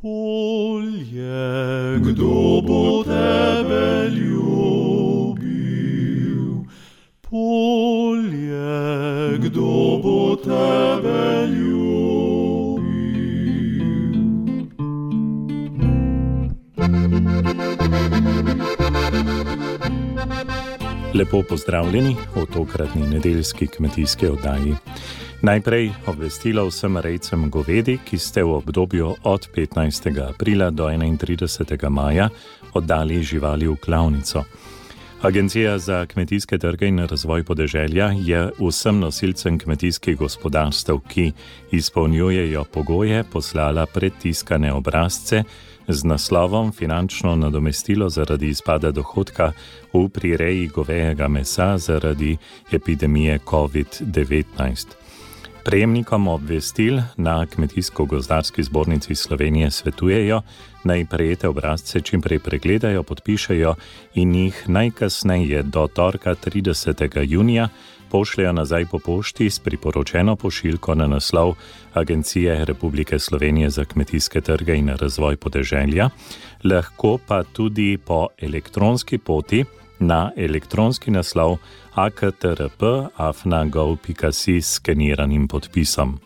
Polje, kdo bo tebe ljubil? Polje, kdo bo tebe ljubil? Lepo pozdravljeni v tokratni nedeljski kmetijski oddaji. Najprej obvestilo vsem rejcem govedi, ki ste v obdobju od 15. aprila do 31. maja oddali živali v klavnico. Agencija za kmetijske trge in razvoj podeželja je vsem nosilcem kmetijskih gospodarstev, ki izpolnjujejo pogoje, poslala predtiskane obrazce z naslovom Finančno nadomestilo zaradi izpada dohodka v prireji govejega mesa zaradi epidemije COVID-19. Prejemnikom obvestil na Kmetijsko-gozdarski zbornici Slovenije svetujejo, naj prejete obrazce čim prej pregledajo, podpišejo in jih najkasneje do torka 30. junija pošljajo nazaj po pošti s priporočeno pošiljko na naslov Agencije Republike Slovenije za kmetijske trge in razvoj podeželja, lahko pa tudi po elektronski poti na elektronski naslov aktrp@gov.si s skeniranim podpisom.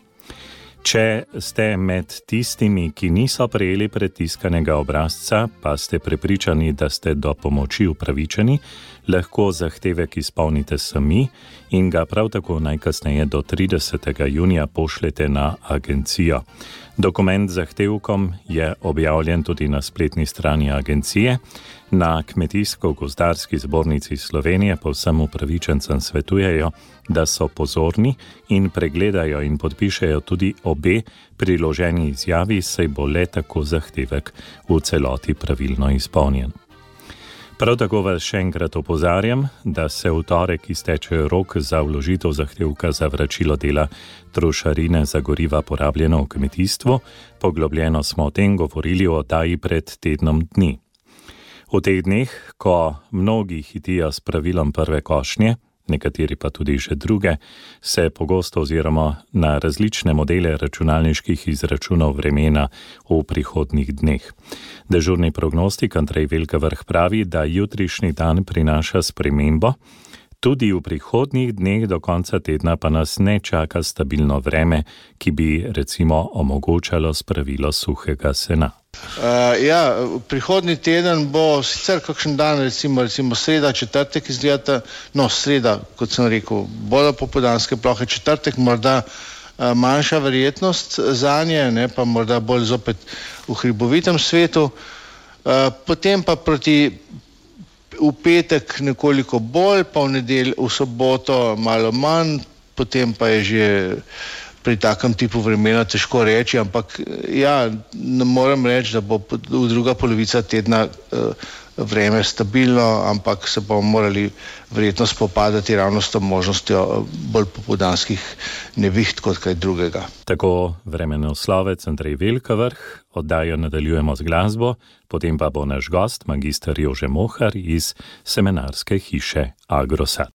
Če ste med tistimi, ki niso prejeli predtiskanega obrazca, pa ste prepričani, da ste do pomoči upravičeni, lahko zahtevek izpolnite sami in ga prav tako najkasneje do 30. junija pošljete na agencijo. Dokument z zahtevkom je objavljen tudi na spletni strani agencije. Na Kmetijsko-gozdarski zbornici Slovenije pa vsem upravičencem svetujejo, da so pozorni in pregledajo in podpišejo tudi obe priloženi izjavi, saj bo le tako zahtevek v celoti pravilno izpolnjen. Prav tako vas še enkrat opozarjam, da se v torek izteče rok za vložitev zahtevka za vračilo dela trošarine za goriva porabljeno v kmetijstvu. Poglobljeno smo o tem govorili v oddaji pred tednom dni. V teh dneh, ko mnogi hitijo s pravilom prve košnje, nekateri pa tudi že druge, se pogosto oziroma na različne modele računalniških izračunov vremena v prihodnjih dneh. Dežurni prognostik Andrej Velkavrh pravi, da jutrišnji dan prinaša spremembo, tudi v prihodnjih dneh do konca tedna pa nas ne čaka stabilno vreme, ki bi recimo omogočalo spravilo suhega sena. Prihodnji teden bo sicer kakšen dan, recimo sreda, četrtek izgleda, sreda, kot sem rekel, bolj popoldanske plohe, četrtek morda manjša verjetnost zanje, ne pa morda bolj zopet v hribovitem svetu, potem pa v petek nekoliko bolj, pa v soboto malo manj, potem pa je že pri takem tipu vremena težko reči, ampak ne moram reči, da bo druga polovica tedna vreme stabilno, ampak se bomo morali verjetno spopadati ravno s to možnostjo bolj popoldanskih neviht kot kaj drugega. Tako vremenoslovec Andrej Velkavrh, oddajo nadaljujemo z glasbo, potem pa bo naš gost, magister Jože Mohar iz semenarske hiše Agrosat.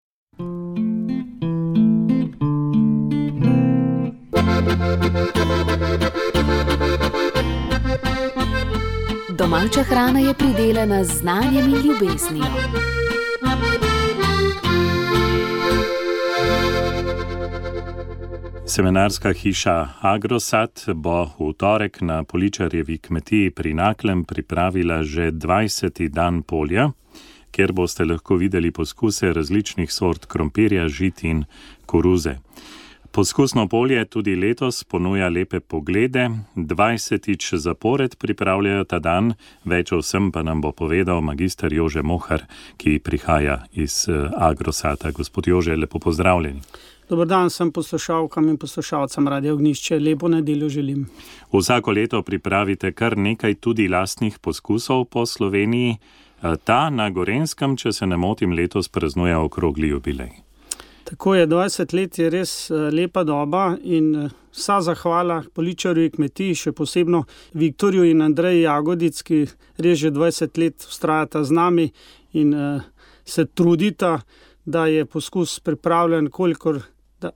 Domača hrana je pridelana z znanjem in ljubeznijo. Semenarska hiša Agrosat bo v torek na Poličarjevi kmetiji pri Naklem pripravila že 20. dan polja, kjer boste lahko videli poskuse različnih sort krompirja, žit in koruze. Poskusno polje tudi letos ponuja lepe poglede, 20. zapored pripravljajo ta dan, več o vsem pa nam bo povedal magister Jože Mohar, ki prihaja iz Agrosata. Gospod Jože, lepo pozdravljeni. Dobar dan vsem poslušalkam in poslušalcem Radia Ognjišče, lepo nedeljo želim. Vsako leto pripravite kar nekaj tudi lastnih poskusov po Sloveniji. Ta na Gorenjskem, če se ne motim, letos praznuje okrogli jubilej. Tako je, 20 let je res lepa doba in vsa zahvala Poličarjevi kmetiji, še posebno Viktorju in Andreji Jagodic, ki res že 20 let vztrajata z nami in se trudita, da je poskus pripravljen, kolikor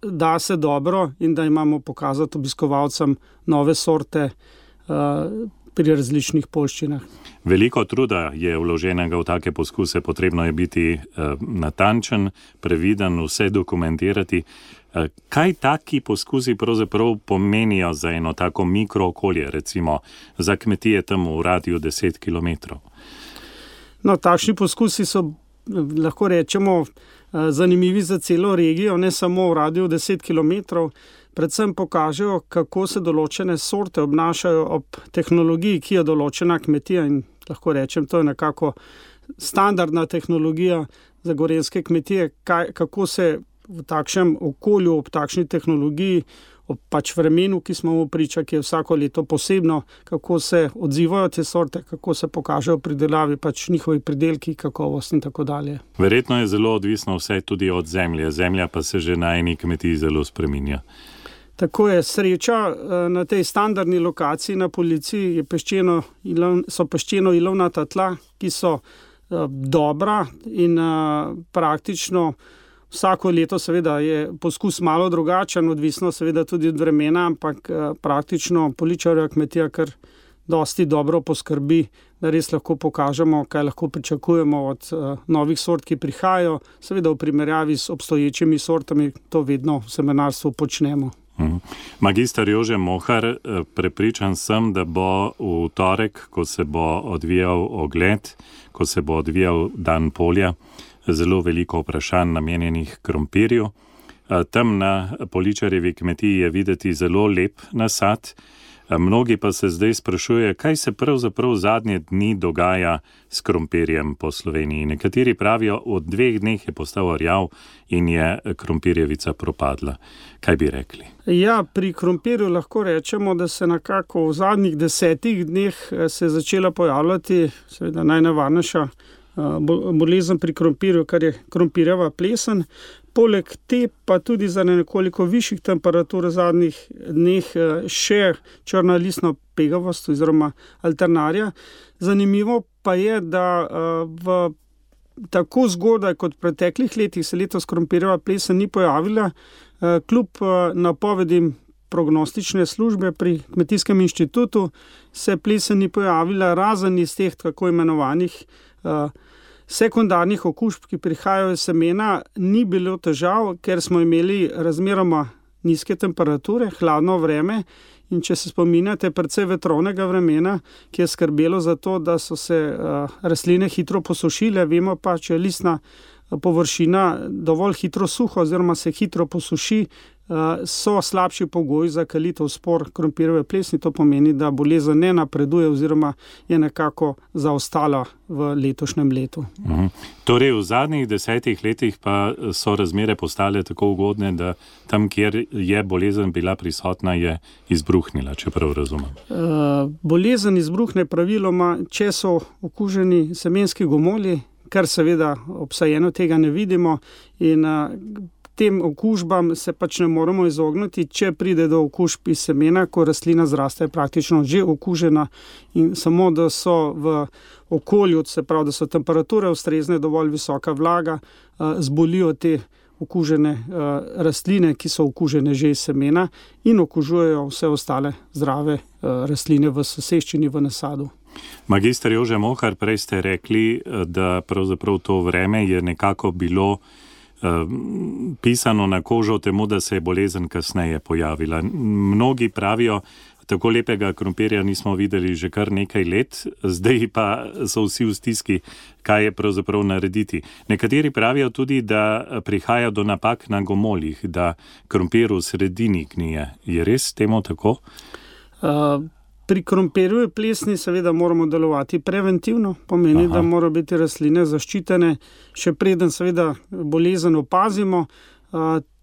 da se dobro in da imamo pokazati obiskovalcem nove sorte, pri različnih poljščinah. Veliko truda je vloženega v take poskuse, potrebno je biti natančen, previden, vse dokumentirati. Kaj taki poskusi pravzaprav pomenijo za eno tako mikrookolje, recimo za kmetije tam v radiju 10 km? No, takšni poskusi so, lahko rečemo, zanimivi za celo regijo, ne samo v radiju 10 km. Predvsem pokažejo, kako se določene sorte obnašajo ob tehnologiji, ki je določena kmetija, in lahko rečem, to je nekako standardna tehnologija za gorenjske kmetije, kako se v takšnem okolju, ob takšni tehnologiji, ob pač vremenu, ki smo mu priča, ki je vsako leto posebno, kako se odzivajo te sorte, kako se pokažejo pri delavi, pač njihovi pridelki, kakovost in tako dalje. Verjetno je zelo odvisno vse tudi od zemlje. Zemlja pa se že na eni kmetiji zelo spreminja. Tako je, sreča na tej standardni lokaciji na Policiji so peščeno-ilovnata tla, ki so dobra in praktično vsako leto seveda je poskus malo drugačen, odvisno seveda tudi od vremena, ampak praktično Poličarjeva kmetija kar dosti dobro poskrbi, da res lahko pokažemo, kaj lahko pričakujemo od novih sort, ki prihajajo. Seveda v primerjavi s obstoječimi sortami to vedno v semenarstvu počnemo. Magister Jože Mohar, prepričan sem, da bo v torek, ko se bo odvijal ogled, ko se bo odvijal dan polja, zelo veliko vprašanj namenjenih krompirju. Tam na Poličarjevi kmetiji je videti zelo lep nasad. Mnogi pa se zdaj sprašujejo, kaj se pravzaprav zadnje dni dogaja s krompirjem po Sloveniji. Nekateri pravijo, v 2 dneh je postal rjav in je krompirjevica propadla. Kaj bi rekli? Ja, pri krompirju lahko rečemo, da se nekako v zadnjih 10 dneh se je začela pojavljati seveda najnevarnejša bolezen pri krompirju, kar je krompirjeva plesen. Poleg te pa tudi za nekoliko višjih temperatur v zadnjih dneh še črna listna pegavost oziroma alternarija. Zanimivo pa je, da v tako zgodaj kot v preteklih letih se letos krompirjeva plesen ni pojavila, kljub napovedim prognostične službe pri Kmetijskem inštitutu se plesen ni pojavila, razen iz teh tako imenovanih sekundarnih okužb, ki prihajajo iz semena, ni bilo težav, ker smo imeli razmeroma nizke temperature, hladno vreme, in če se spominjate precej vetrovnega vremena, ki je skrbelo za to, da so se rastline hitro posušile. Vemo pa, če je listna površina dovolj hitro suha oziroma se hitro posuši, so slabši pogoji za kalitev spor krompirjeve plesni. To pomeni, da bolezen ne napreduje oziroma je nekako zaostala v letošnjem letu. Torej v zadnjih 10 letih pa so razmere postale tako ugodne, da tam, kjer je bolezen bila prisotna, je izbruhnila, če prav razumem. Bolezen izbruhne praviloma, če so okuženi semenski gomolji, kar seveda obsajeno tega ne vidimo, in tem okužbam se pač ne moremo izogniti, če pride do okužb iz semena, ko rastlina zraste praktično že okužena, in samo da so v okolju, se pravi, da so temperature ustrezne, dovolj visoka vlaga, zbolijo te okužene rastline, ki so okužene že iz semena in okužujejo vse ostale zdrave rastline v soseščini, v nasadu. Magister Jože Mohar, prej ste rekli, da pravzaprav to vreme je nekako bilo pisano na kožo temu, da se je bolezen kasneje pojavila. Mnogi pravijo, tako lepega krompirja nismo videli že kar nekaj let, zdaj pa so vsi v stiski, kaj je pravzaprav narediti. Nekateri pravijo tudi, da prihaja do napak na gomoljih, da krompir v sredini gnije. Je res temu tako? Pri krompirjevi plesni seveda moramo delovati preventivno, pomeni, da morajo biti rastline zaščitene, še preden seveda bolezen opazimo.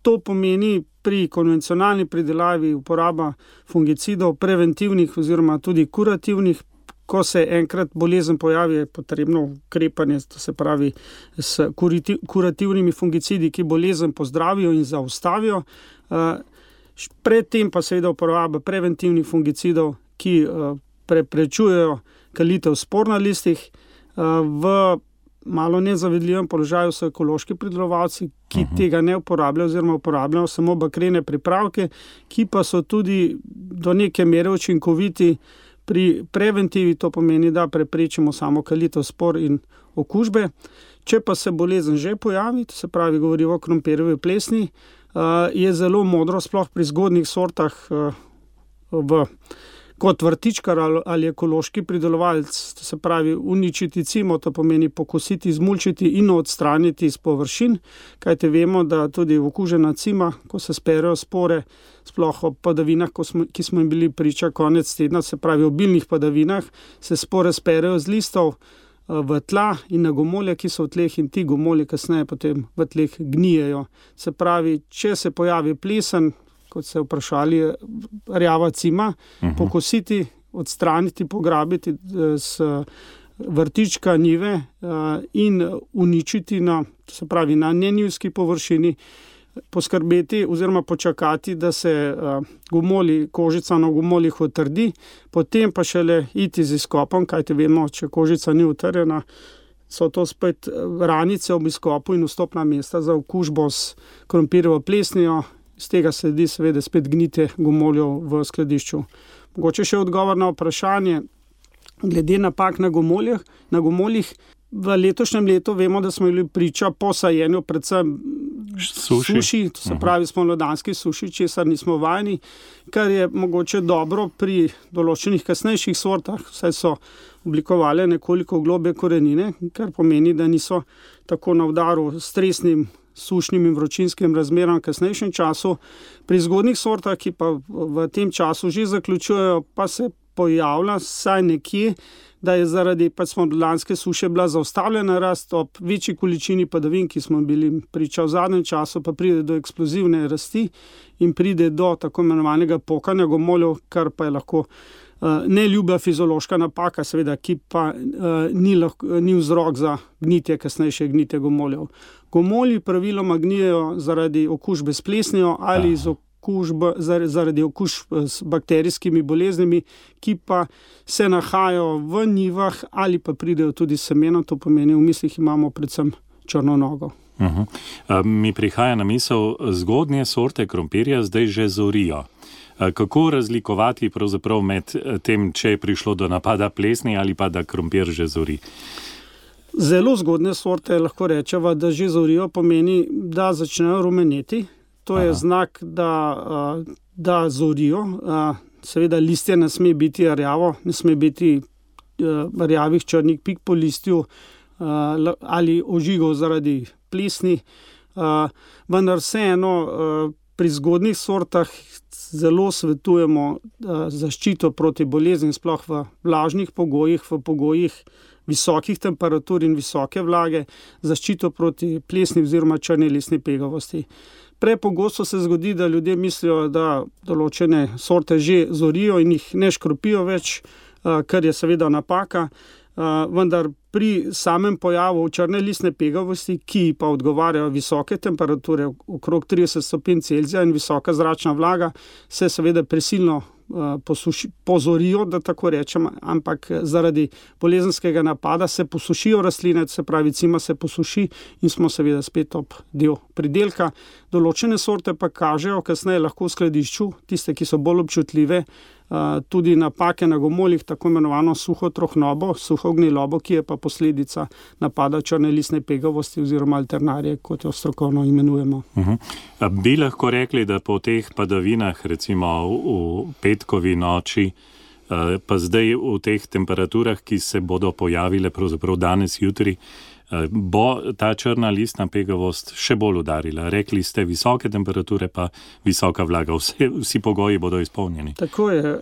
To pomeni pri konvencionalni pridelavi uporaba fungicidov, preventivnih oziroma tudi kurativnih. Ko se enkrat bolezen pojavi, je potrebno ukrepanje, to se pravi s kurativnimi fungicidi, ki bolezen pozdravijo in zaustavijo. Predtem pa seveda uporaba preventivnih fungicidov, ki preprečujejo kalitev spor na listih. V malo nezavidljivem položaju so ekološki pridelovalci, ki tega ne uporabljajo oziroma uporabljajo samo bakrene pripravke, ki pa so tudi do neke mere učinkoviti Pri preventivi to pomeni, da preprečimo samo kalitev spor in okužbe. Če pa se bolezen že pojavi, to se pravi, govorimo o krompirjevi plesni, je zelo modro, sploh pri zgodnjih sortah kot vrtičkar ali ekološki pridelovalec, to se pravi uničiti cimo, to pomeni pokositi, izmulčiti in odstraniti iz površin, kajte vemo, da tudi okužena cima, ko se sperejo spore, sploh ob padavinah, ki smo jim bili priča konec tedna, se pravi obilnih padavinah, se spore sperejo z listov v tla in na gomolje, ki so v tleh, in ti gomolji kasneje potem v tleh gnijejo. Se pravi, če se pojavi plesen, kot ste vprašali, rjava cima, pokositi, odstraniti, pograbiti s vrtička njive in uničiti na nenjivski površini, poskrbeti oziroma počakati, da se kožica na gomoljih utrdi, potem pa šele iti z izkopom, kajte vemo, če kožica ni utrjena, so to spet ranice ob izkopu in vstopna mesta za okužbo s krompirjevo plesnijo. Z tega sledi seveda spet gnitje gomoljev v skladišču. Mogoče še odgovor na vprašanje, glede napak na gomoljih. V letošnjem letu vemo, da smo bili priča po sajenju predvsem suši, to se pravi spomladanski suši, česar nismo vajeni, kar je mogoče dobro pri določenih kasnejših sortah, saj so oblikovale nekoliko globlje korenine, kar pomeni, da niso tako na udaru stresnim sušnim in vročinskim razmeram v kasnejšem času. Pri zgodnjih sortah, ki pa v tem času že zaključujejo, pa se pojavlja saj nekje, da je zaradi spomladanske suše bila zaustavljena rast ob večji količini padavin, ki smo bili priča v zadnjem času, pa pride do eksplozivne rasti in pride do tako imenovanega pokanja gomoljev, kar pa je lahko neljuba fiziološka napaka, seveda, ki pa ni vzrok za gnitje, kasnejše gnitje gomoljev. Gomolji praviloma gnijejo zaradi okužbe s plesnijo ali zaradi okužb s bakterijskimi boleznimi, ki pa se nahajajo v njivah ali pa pridejo tudi semena, to pomeni, v mislih imamo predvsem črno nogo. Mi prihaja na misel, zgodnje sorte krompirja zdaj že zorijo. Kako razlikovati pravzaprav med tem, če je prišlo do napada plesni ali pa da krompir že zori? Zelo zgodne sorte lahko rečeva, da že zorijo, pomeni, da začnejo rumeneti. To je znak, da zorijo. Seveda listje ne sme biti rjavo, ne sme biti rjavih črnih pik po listju ali ožigov zaradi plesni. Vendar vseeno pri zgodnih sortah zelo svetujemo zaščito proti bolezni, sploh v vlažnih pogojih, v pogojih visokih temperatur in visoke vlage, zaščito proti plesni oziroma črni listni pegavosti. Prepogosto se zgodi, da ljudje mislijo, da določene sorte že zorijo in jih ne škropijo več, kar je seveda napaka, vendar pri samem pojavu črne listne pegavosti, ki pa odgovarjajo visoke temperature, okrog 30 stopinj Celzija in visoka zračna vlaga, se seveda prisilno pozorijo, da tako rečem, ampak zaradi bolezenskega napada se posušijo rastline, se pravi cima se posuši in smo seveda spet ob del pridelka. Določene sorte pa kažejo kasneje lahko v skladišču, tiste, ki so bolj občutljive, tudi napake na gomoljih, tako imenovano suho trohnobo, suho gnilobo, ki je pa posledica napada črne listne pegavosti oziroma alternarije, kot jo strokovno imenujemo. Bi lahko rekli, da po teh padavinah, recimo v petkovi noči, pa zdaj v teh temperaturah, ki se bodo pojavile pravzaprav danes, jutri, bo ta črna listna pegavost še bolj udarila. Rekli ste visoke temperature, pa visoka vlaga. Vsi pogoji bodo izpolnjeni. Tako je.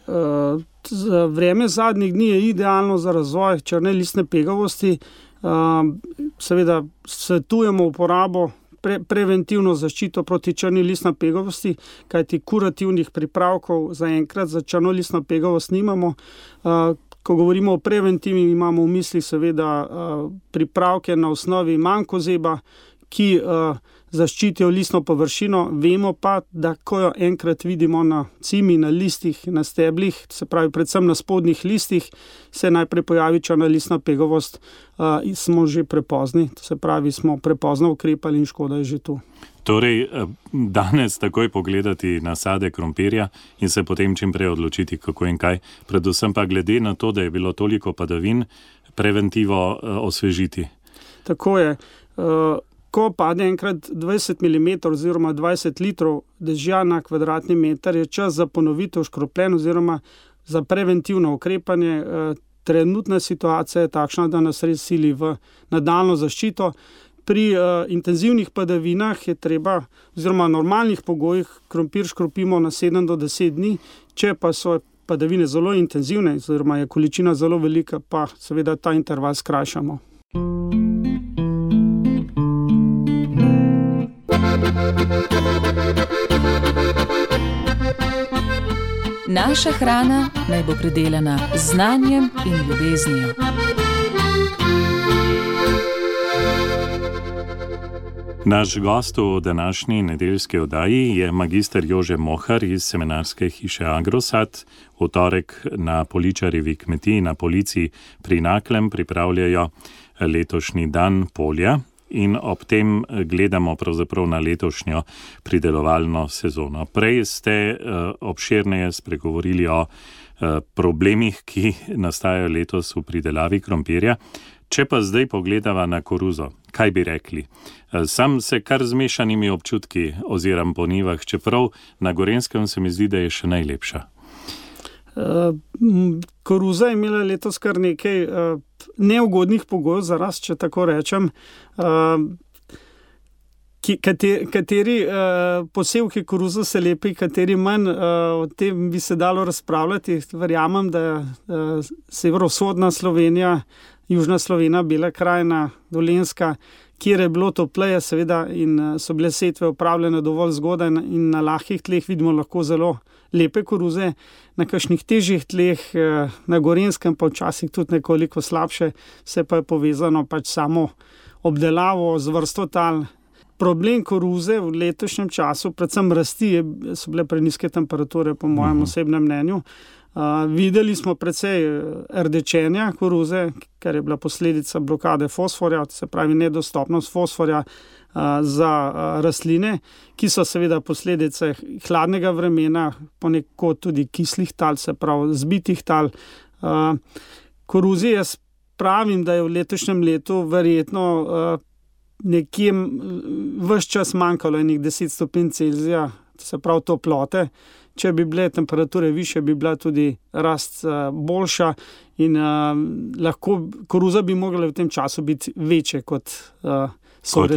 Vreme zadnjih dni je idealno za razvoj črne listne pegavosti. Seveda svetujemo uporabo preventivno zaščito proti črni listni pegavosti, kajti kurativnih pripravkov zaenkrat za črno listno pegavost nimamo. Ko govorimo o preventivi, imamo v mislih seveda pripravke na osnovi mankozeba, ki zaščitijo listno površino. Vemo pa, da ko jo enkrat vidimo na cimi, na listih, na steblih, se pravi predvsem na spodnjih listih, se najprej pojavi črna listna pegavost, smo že prepozni, se pravi smo prepozno ukrepali in škoda je že tu. Torej, danes takoj pogledati nasade krompirja in se potem čim prej odločiti, kako in kaj. Predvsem pa glede na to, da je bilo toliko padavin, preventivo osvežiti. Tako je. Ko pade enkrat 20 mm oziroma 20 litrov dežja na kvadratni meter, je čas za ponovitev škropljen oziroma za preventivno ukrepanje. Trenutna situacija je takšna, da nas res sili v nadaljnjo zaščito. Pri intenzivnih padavinah je treba, oziroma normalnih pogojih, krompir škropimo na 7 do 10 dni, če pa so padavine zelo intenzivne, oziroma je količina zelo velika, pa seveda ta interval skrajšamo. Naša hrana naj bo pridelana z znanjem in ljubeznijo. Naš gost v današnji nedeljski oddaji je magister Jože Mohar iz semenarske hiše Agrosad. V torek na Poličarjevi kmetiji na Polici pri Naklem pripravljajo letošnji dan polja in ob tem gledamo pravzaprav na letošnjo pridelovalno sezono. Prej ste obširneje spregovorili o problemih, ki nastajajo letos v pridelavi krompirja. Če pa zdaj pogledava na koruzo, kaj bi rekli? Sam se kar z mešanimi občutki oziram po njivah, čeprav na Gorenjskem se mi zdi, da je še najlepša. Koruza je imela letos kar nekaj neugodnih pogojev za rast, če tako rečem. Kateri posevki koruzo se lepi, kateri manj, o tem bi se dalo razpravljati. Verjamem, da severovzhodna Slovenija, južna Slovenija, Bela krajina, Dolenjska, kjer je bilo topleje seveda in so bile setve opravljene dovolj zgodaj in na lahkih tleh vidimo lahko zelo lepe koruze, na kakšnih težjih tleh, na Gorenjskem pa včasih tudi nekoliko slabše, vse pa je povezano pač samo obdelavo z vrsto tal. Problem koruze v letošnjem času, predvsem rasti, so bile preniske temperature, po mojem osebnem mnenju. Videli smo precej rdečenja koruze, kar je bila posledica blokade fosforja, se pravi nedostopnost fosforja za rastline, ki so seveda posledice hladnega vremena, ponekod tudi kislih tal, se pravi zbitih tal. Koruzi jaz pravim, da je v letošnjem letu verjetno nekje ves čas manjkalo enih 10 stopinj Celzija, se pravi toplote. Če bi bile temperature više, bi bila tudi rast boljša in lahko koruza bi mogla v tem času biti večje kot so v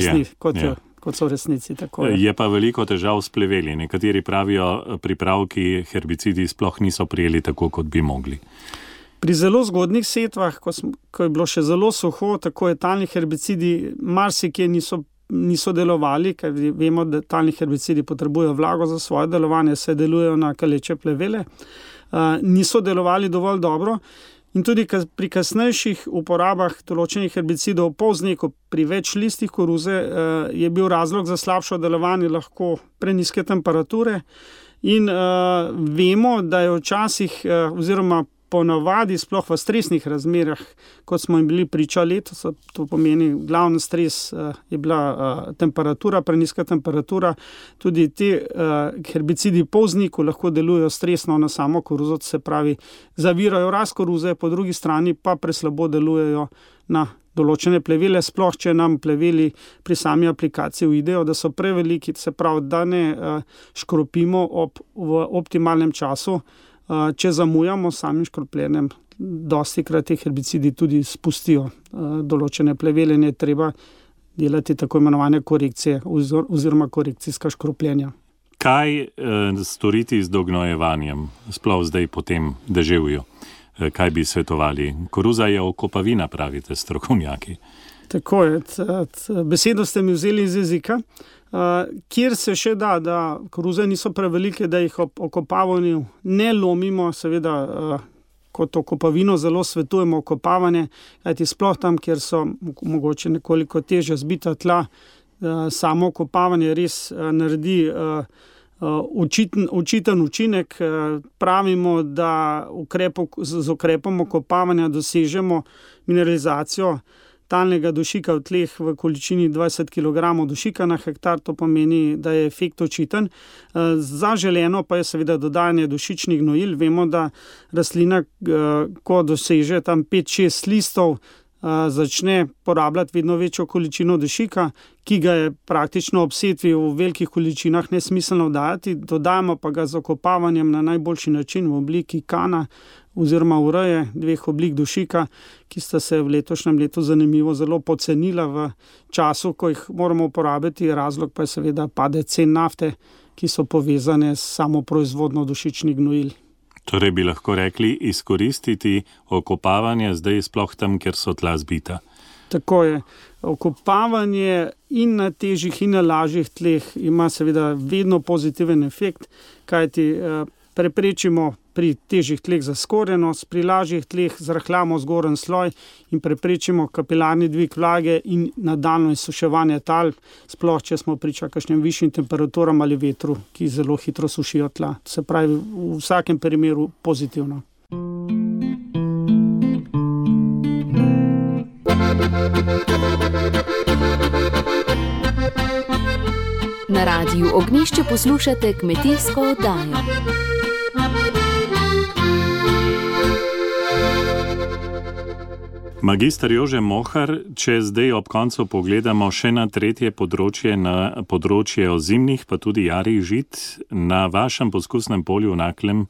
resnici. Tako je pa veliko težav s pleveli. Nekateri pravijo, pripravki, herbicidi sploh niso prijeli tako, kot bi mogli. Pri zelo zgodnih setvah, ko je bilo še zelo suho, tako je talni herbicidi marsikje niso delovali, ker vemo, da talni herbicidi potrebujejo vlago za svoje delovanje, se delujejo na kaleče plevele, niso delovali dovolj dobro in tudi pri kasnejših uporabah določenih herbicidov po vzniku pri več listih koruze je bil razlog za slabšo delovanje lahko preniske temperature in vemo, da je včasih oziroma ponavadi, sploh v stresnih razmerah, kot smo jim bili priča letos, to pomeni glavni stres je bila temperatura, preniska temperatura, tudi te herbicidi po vzniku lahko delujejo stresno na samo koruzo, se pravi, zavirajo rast koruze, po drugi strani pa preslabo delujejo na določene plevele, sploh če nam pleveli pri sami aplikaciji uidejo, da so preveliki, se pravi, da ne škropimo v optimalnem času. Če zamujamo samim škropljenjem, dostikrat te herbicidi tudi spustijo določene plevele, ne treba delati tako imenovane korekcije oziroma korekcijska škropljenja. Kaj storiti z dognojevanjem, sploh zdaj po tem deževju? Kaj bi svetovali? Koruza je okopavina, pravite strokovnjaki. Tako je. Besedo ste mi vzeli iz jezika. Kjer se še da koruze niso prevelike, da jih ob okopavanju ne lomimo, seveda kot okopavino zelo svetujemo okopavanje, kajti sploh tam, kjer so mogoče nekoliko težje zbita tla, samo okopavanje res naredi očiten učinek. Pravimo, da z ukrepom okopavanja dosežemo mineralizacijo talnega dušika v tleh v količini 20 kg dušika na hektar, to pomeni, da je efekt očiten. Zaželeno pa je seveda dodajanje dušičnih gnojil. Vemo, da rastlina, ko doseže tam 5-6 listov, začne porabljati vedno večjo količino dušika, ki ga je praktično ob setvi v velikih količinah nesmiselno dajati. Dodajamo pa ga z okopavanjem na najboljši način v obliki kana oziroma ureje 2 oblik dušika, ki sta se v letošnjem letu zanimivo zelo pocenila v času, ko jih moramo uporabiti. Razlog pa je seveda padec cen nafte, ki so povezane s samo proizvodnjo dušičnih gnojil. Torej bi lahko rekli izkoristiti okopavanje zdaj sploh tam, kjer so tla zbita. Tako je. Okopavanje in na težjih in na lažjih tleh ima seveda vedno pozitiven efekt, kajti preprečimo pri težjih tleh zaskorjenost, pri lažjih tleh zrahljamo zgoren sloj in preprečimo kapilarni dvig vlage in nadaljnjo izsuševanje tal, sploh če smo priča kakšnim višjim temperaturam ali vetru, ki zelo hitro sušijo tla. Se pravi, v vsakem primeru pozitivno. Na Radiu Ognjišče poslušate kmetijsko oddajo. Magister Jože Mohar, če zdaj ob koncu pogledamo še na tretje področje, na področje ozimnih, pa tudi jarih žit, na vašem poskusnem polju v Naklem,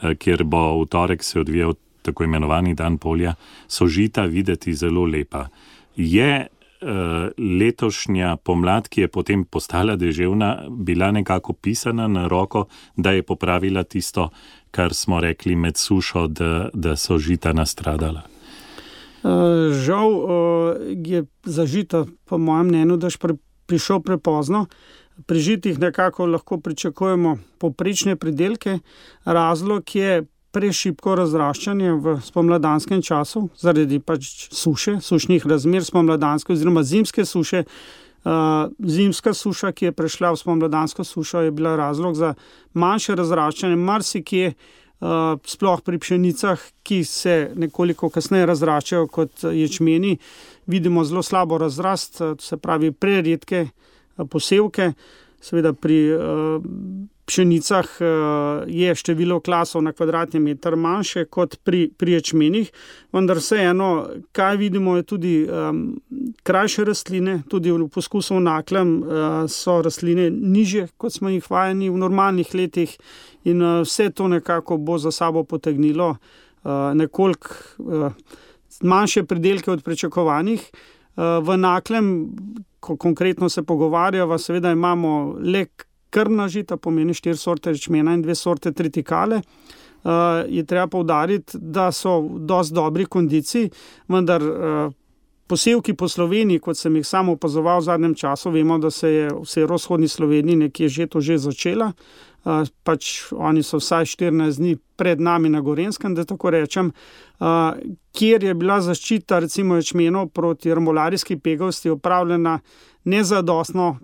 kjer bo v torek se odvijal tako imenovani dan polja, so žita videti zelo lepa. Je letošnja pomlad, ki je potem postala deževna, bila nekako pisana na roko, da je popravila tisto, kar smo rekli med sušo, da so žita nastradala? Žal je za žita, po mojem mnenju, da prišel prepozno. Pri žitih nekako lahko pričakujemo povprečne pridelke. Razlog je prešibko razraščanje v spomladanskem času, zaradi suše, sušnih razmer spomladanske oziroma zimske suše. Zimska suša, ki je prešla v spomladansko sušo, je bila razlog za manjše razraščanje, marsikje, sploh pri pšenicah, ki se nekoliko kasneje razraščajo kot ječmeni, vidimo zelo slabo razrast, se pravi preredke posevke. Seveda pri pšenicah je število klasov na kvadratni meter manjše kot pri ječmenih, vendar vseeno, kaj vidimo, je tudi krajše rastline, tudi v poskusu v Naklem so rastline nižje, kot smo jih vajeni v normalnih letih, in vse to nekako bo za sabo potegnilo nekoliko manjše pridelke od pričakovanih. V Naklem, ko konkretno se pogovarjava, seveda imamo le krmna žita, pomeni 4 sorte ječmena in 2 sorte tritikale. Je treba poudariti, da so v dosti dobri kondiciji, vendar posevki po Sloveniji, kot sem jih samo opazoval v zadnjem času, vemo, da se je v severovzhodni Sloveniji nekje žeto že začela. Oni so vsaj 14 dni pred nami na Gorenjskem, da tako rečem, kjer je bila zaščita recimo ječmenov proti remolarijski pegavosti opravljena nezadostno,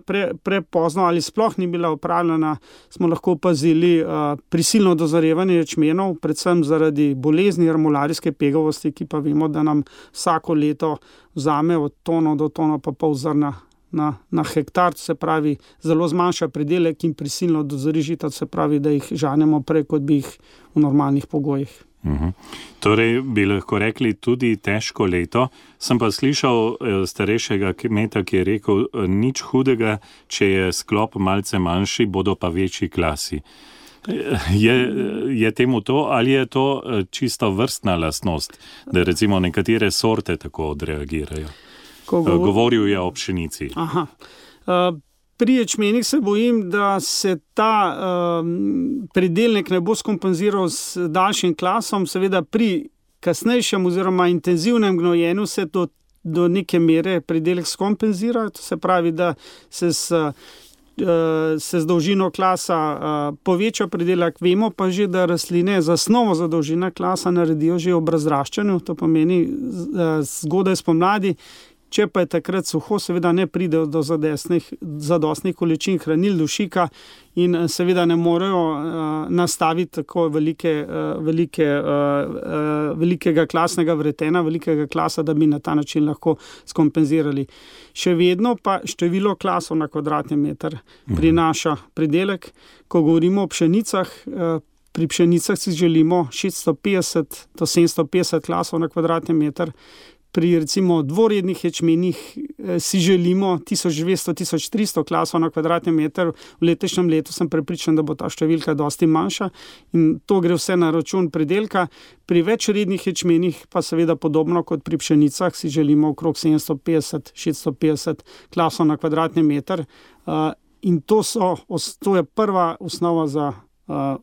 prepozno ali sploh ni bila opravljena, smo lahko opazili prisilno dozorevanje ječmenov, predvsem zaradi bolezni remolarijske pegavosti, ki pa vemo, da nam vsako leto vzame od tono do tono pa pol zrna na hektar, se pravi zelo zmanjša pridelek in prisilno dozori žita, se pravi, da jih žanemo prej, kot bi jih v normalnih pogojih. Torej bi lahko rekli tudi težko leto. Sem pa slišal starejšega kmeta, ki je rekel, nič hudega, če je sklop malce manjši, bodo pa večji klasi. Je temu to, ali je to čisto vrstna lastnost, da recimo nekatere sorte tako odreagirajo? Govoril je o pšenici. Pri ječmenih se bojim, da se ta pridelek ne bo skompenziral s daljšim klasom. Seveda pri kasnejšem oziroma intenzivnem gnojenju se do neke mere pridelek skompenzira. To se pravi, da se z dolžino klasa poveča pridelek. Vemo pa že, da rastline zasnovo za dolžino klasa naredijo že ob razraščanju. To pomeni zgodaj spomladi, Če pa je takrat suho, seveda ne pridejo do zadostnih količin hranil, dušika in seveda ne morejo nastaviti tako velikega klasnega vretena, velikega klasa, da bi na ta način lahko skompenzirali. Še vedno pa število klasov na kvadratni meter prinaša pridelek. Ko govorimo o pšenicah, pri pšenicah si želimo 650 do 750 klasov na kvadratni meter. Pri recimo dvorednih ječmenih si želimo 1200-1300 klasov na kvadratni meter. V letošnjem letu sem prepričan, da bo ta številka dosti manjša in to gre vse na račun pridelka. Pri večrednih ječmenih pa seveda podobno kot pri pšenicah si želimo okrog 750-650 klasov na kvadratni meter. In to je prva osnova za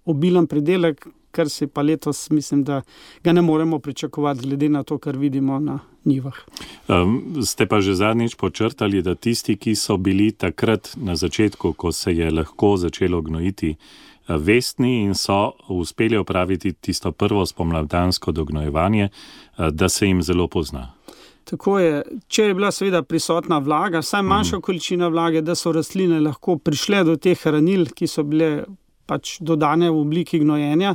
obilen pridelek, kar si pa letos mislim, da ga ne moremo pričakovati glede na to, kar vidimo na njivah. Ste pa že zadnjič počrtali, da tisti, ki so bili takrat na začetku, ko se je lahko začelo gnojiti, vestni in so uspeli opraviti tisto prvo spomladansko dognojevanje, da se jim zelo pozna. Tako je, če je bila seveda prisotna vlaga, vsaj manjša količina vlage, da so rastline lahko prišle do teh hranil, ki so bile pač dodane v obliki gnojenja,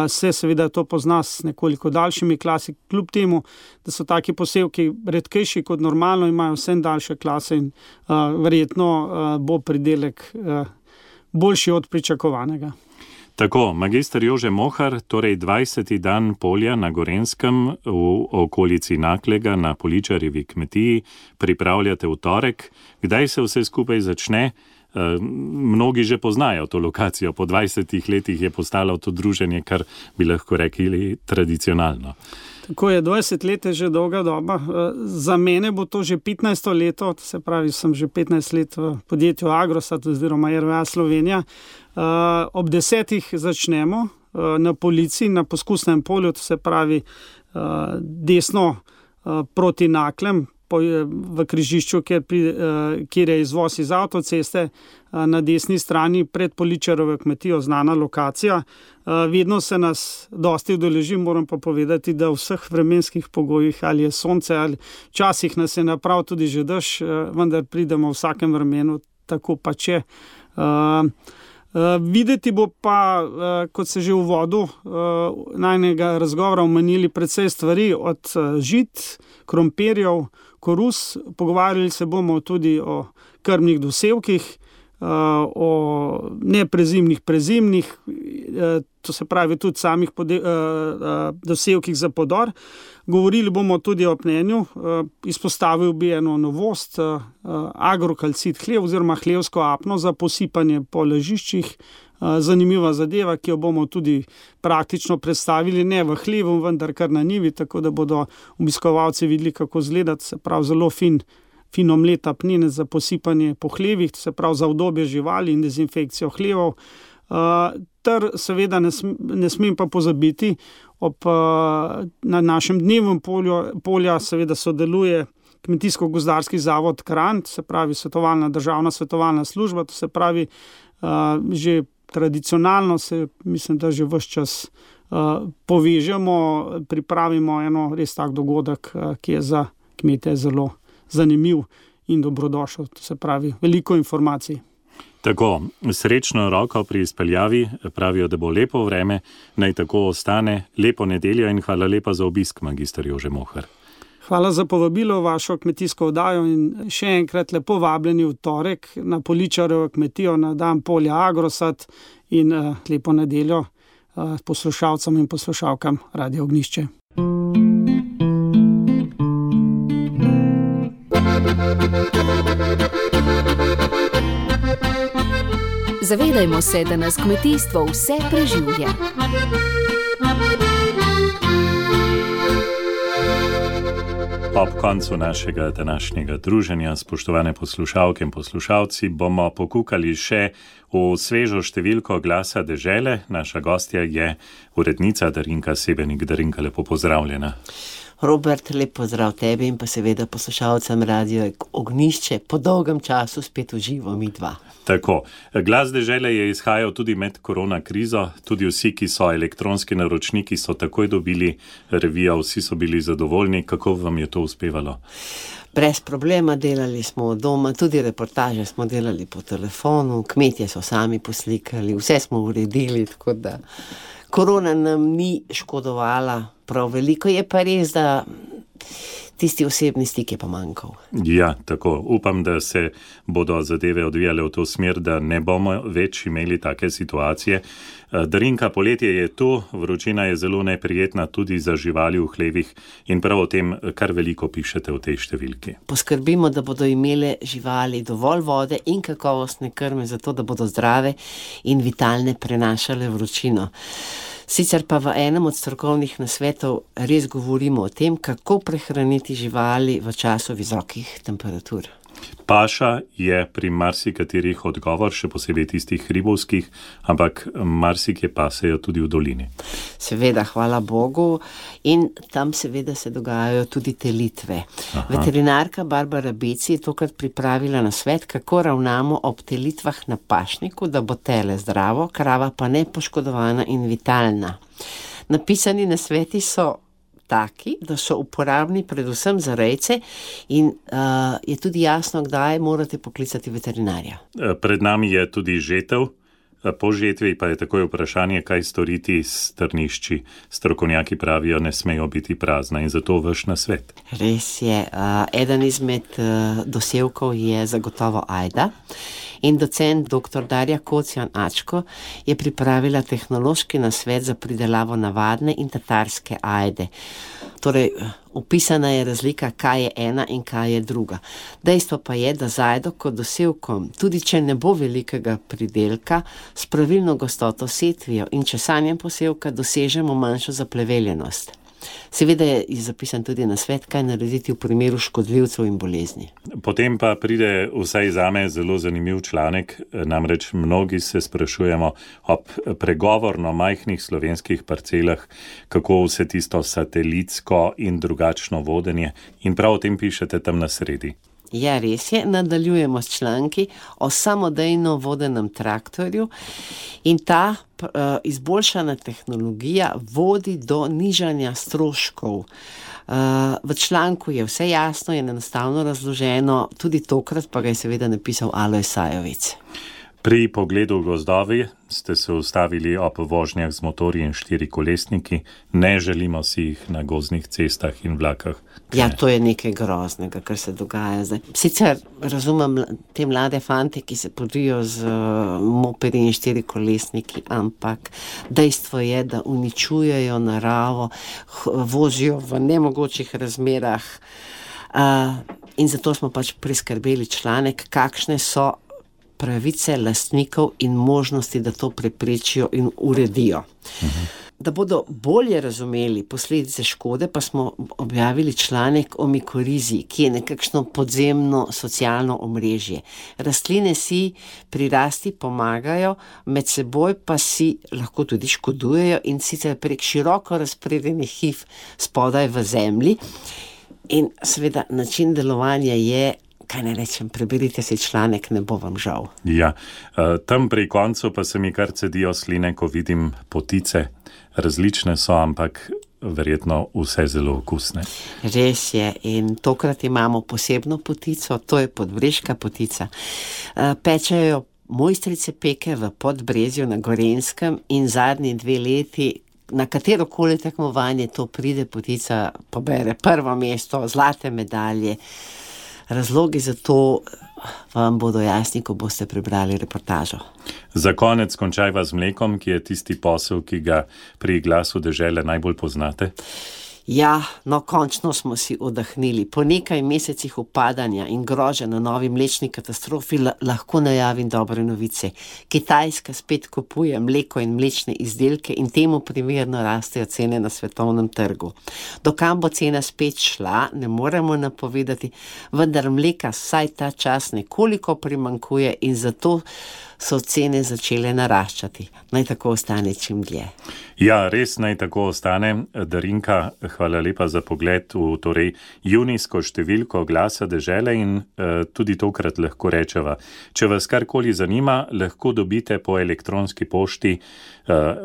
se seveda to pozna s nekoliko daljšimi klasi, kljub temu, da so taki posevki redkejši kot normalno, imajo vsem daljše klase in verjetno bo pridelek boljši od pričakovanega. Tako, magister Jože Mohar, torej 20. dan polja na Gorenjskem v okolici Naklega na Poličarjevi kmetiji pripravljate v torek. Kdaj se vse skupaj začne? Mnogi že poznajo to lokacijo, po 20 letih je postalo to druženje, kar bi lahko rekli tradicionalno. Tako je, 20 let je že dolga doba. Za mene bo to že 15. leto, se pravi, sem že 15 let v podjetju Agrosat oziroma RWA Slovenija. Ob 10. začnemo na Polici, na poskusnem polju, to se pravi desno proti Naklem, v križišču, kjer je izvoz iz avtoceste, na desni strani pred Poličarovo kmetijo, znana lokacija. Vedno se nas dosti udeleži, moram pa povedati, da v vseh vremenskih pogojih, ali je sonce, ali včasih nas je naprav tudi že dež, vendar pridemo v vsakem vremenu, tako pa če. Videti bo pa, kot se že v uvodu najnega razgovora omenili, precej stvari od žit, krompirjev, korus. Pogovarjali se bomo tudi o krmnih dosevkih, o neprezimnih, prezimnih, to se pravi tudi samih dosevkih za podor. Govorili bomo tudi o pnenju, izpostavil bi eno novost, agrokalcit hlev oziroma hlevsko apno za posipanje po ležiščih. Zanimiva zadeva, ki jo bomo tudi praktično predstavili, ne v hlevu, vendar kar na njivi, tako da bodo obiskovalci videli, kako izgleda, se pravi zelo fin omlet apnine za posipanje po hlevih, se pravi za udobje živali in dezinfekcijo hlevov. Ter seveda ne smem pa pozabiti, na našem dnevu polja seveda sodeluje Kmetijsko-gozdarski zavod Kranj, se pravi državna svetovalna služba, to se pravi že tradicionalno se, mislim, da že ves čas povežemo, pripravimo eno res tak dogodek, ki je za kmete zelo zanimiv in dobrodošel, to se pravi veliko informacij. Tako, srečno roko pri izpeljavi, pravijo, da bo lepo vreme, naj tako ostane, lepo nedeljo in hvala lepa za obisk, magister Jože Mohar. Hvala za povabilo v vašo kmetijsko oddajo in še enkrat lepo vabljeni v torek na Poličarovo kmetijo na dan polja Agrosat in lepo nedeljo poslušalcem in poslušalkam Radio Ognjišče. Zavedajmo se, da nas kmetijstvo vse preživlja. Ob koncu našega današnjega druženja, spoštovane poslušalke in poslušalci, bomo pokukali še v svežo številko Glasa dežele. Naša gostja je urednica Darinka Sebenik. Darinka, lepo pozdravljena. Robert, lep pozdrav tebi in pa seveda poslušalcem Radio Ognjišče, po dolgem času spet v živo mi dva. Tako, Glas dežele je izhajal tudi med korona krizo, tudi vsi, ki so elektronski naročniki, so takoj dobili revijo, vsi so bili zadovoljni. Kako vam je to uspevalo? Brez problema, delali smo doma, tudi reportaže smo delali po telefonu, kmetje so sami poslikali, vse smo uredili, tako da korona nam ni škodovala prav veliko, je pa res, da tisti osebni stik je pa manjkal. Ja, tako. Upam, da se bodo zadeve odvijale v to smer, da ne bomo več imeli take situacije. Darinka, poletje je tu, vročina je zelo neprijetna tudi za živali v hlevih in prav o tem kar veliko pišete v tej številki. Poskrbimo, da bodo imele živali dovolj vode in kakovostne krme, zato da bodo zdrave in vitalne prenašale vročino. Sicer pa v enem od strokovnih nasvetov res govorimo o tem, kako prehraniti živali v času visokih temperatur. Paša je pri marsikaterih odgovor, še posebej tistih hribovskih, ampak marsikje pasejo tudi v dolini. Seveda, hvala Bogu, in tam seveda se dogajajo tudi telitve. Aha. Veterinarka Barbara Beci je tokrat pripravila nasvet, kako ravnamo ob telitvah na pašniku, da bo tele zdravo, krava pa nepoškodovana in vitalna. Napisani nasveti so taki, da so uporabni predvsem za rejce in je tudi jasno, kdaj morate poklicati veterinarja. Pred nami je tudi žetev. Po žetvi pa je takoj vprašanje, kaj storiti s strnišči. Strokovnjaki pravijo, ne smejo biti prazna in zato vaš nasvet. Res je. Eden izmed dosevkov je zagotovo ajda. In docent dr. Darja Kocijan-Ačko je pripravila tehnološki nasvet za pridelavo navadne in tatarske ajde. Torej, opisana je razlika, kaj je ena in kaj je druga. Dejstvo pa je, da z ajdo kot dosevkom, tudi če ne bo velikega pridelka, s pravilno gostoto setvijo in česanjem posevka dosežemo manjšo zapleveljenost. Seveda je zapisan tudi nasvet, kaj narediti v primeru škodljivcev in bolezni. Potem pa pride vsaj zame zelo zanimiv članek, namreč mnogi se sprašujemo ob pregovorno majhnih slovenskih parcelah, kako vse tisto satelitsko in drugačno vodenje, in prav o tem pišete tam na sredi. Ja, res je, nadaljujemo s članki o samodejno vodenem traktorju in ta izboljšana tehnologija vodi do nižanja stroškov. V članku je vse jasno in enostavno razloženo, tudi tokrat pa ga je seveda napisal Alojz Sajovic. Pri pogledu v gozdovi ste se ustavili ob vožnjah z motorji in štirikolesniki. Ne želimo si jih na gozdnih cestah in vlakah. Ja, to je nekaj groznega, kar se dogaja zdaj. Sicer razumem te mlade fante, ki se podijo z mopedi in štirikolesniki, ampak dejstvo je, da uničujejo naravo, vozijo v nemogočih razmerah in zato smo pač priskrbeli članek, kakšne so pravice lastnikov in možnosti, da to preprečijo in uredijo. Da bodo bolje razumeli posledice škode, pa smo objavili članek o mikorizi, ki je nekakšno podzemno socialno omrežje. Rastline si pri rasti pomagajo, med seboj pa si lahko tudi škodujejo in sicer prek široko razpredenih hiv spodaj v zemlji. In seveda način delovanja je, kaj ne rečem, preberite si članek, ne bo vam žal. Ja, tam pri koncu pa se mi kar cedijo sline, ko vidim potice. Različne so, ampak verjetno vse zelo okusne. Res je, in tokrat imamo posebno potico, to je podbreška potica. Pečejo mojstrice peke v Podbrezju na Gorenjskem in zadnji 2 leti, na katerokoli tekmovanje to pride, potica pobere prvo mesto, zlate medalje. Razlogi za to vam bodo jasni, ko boste prebrali reportažo. Za konec končajva z mlekom, ki je tisti posel, ki ga pri Glasu dežele najbolj poznate. Ja, no končno smo si oddahnili. Po nekaj mesecih upadanja in grože na novi mlečni katastrofi lahko najavim dobre novice. Kitajska spet kupuje mleko in mlečne izdelke in temu primerno rastejo cene na svetovnem trgu. Dokam bo cena spet šla, ne moremo napovedati, vendar mleka vsaj ta čas nekoliko primanjkuje in zato so cene začele naraščati. Naj tako ostane čim dlje. Ja, res naj tako ostane. Darinka, hvala lepa za pogled v torej junijsko številko Glasa dežele in tudi tokrat lahko rečeva, če vas karkoli zanima, lahko dobite po elektronski pošti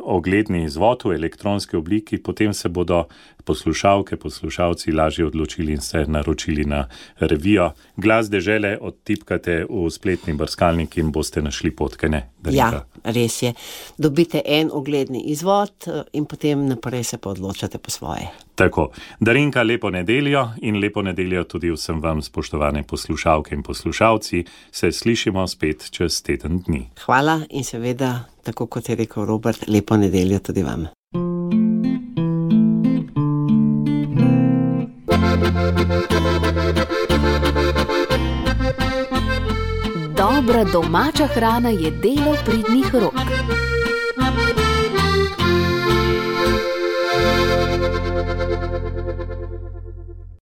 ogledni izvod v elektronski obliki, potem se bodo poslušalci lažje odločili in se naročili na revijo. Glas dežele odtipkate v spletni brskalnik in boste našli potke, ne? Ja, res je. Dobite en ogledni izvod in potem naprej se pa odločate po svoje. Tako. Darinka, lepo nedeljo in lepo nedeljo tudi vsem vam, spoštovane poslušalke in poslušalci. Se slišimo spet čez teden dni. Hvala in seveda, tako kot je rekel Robert, lepo nedeljo tudi vam. Dobra domača hrana je delo pridnih rok.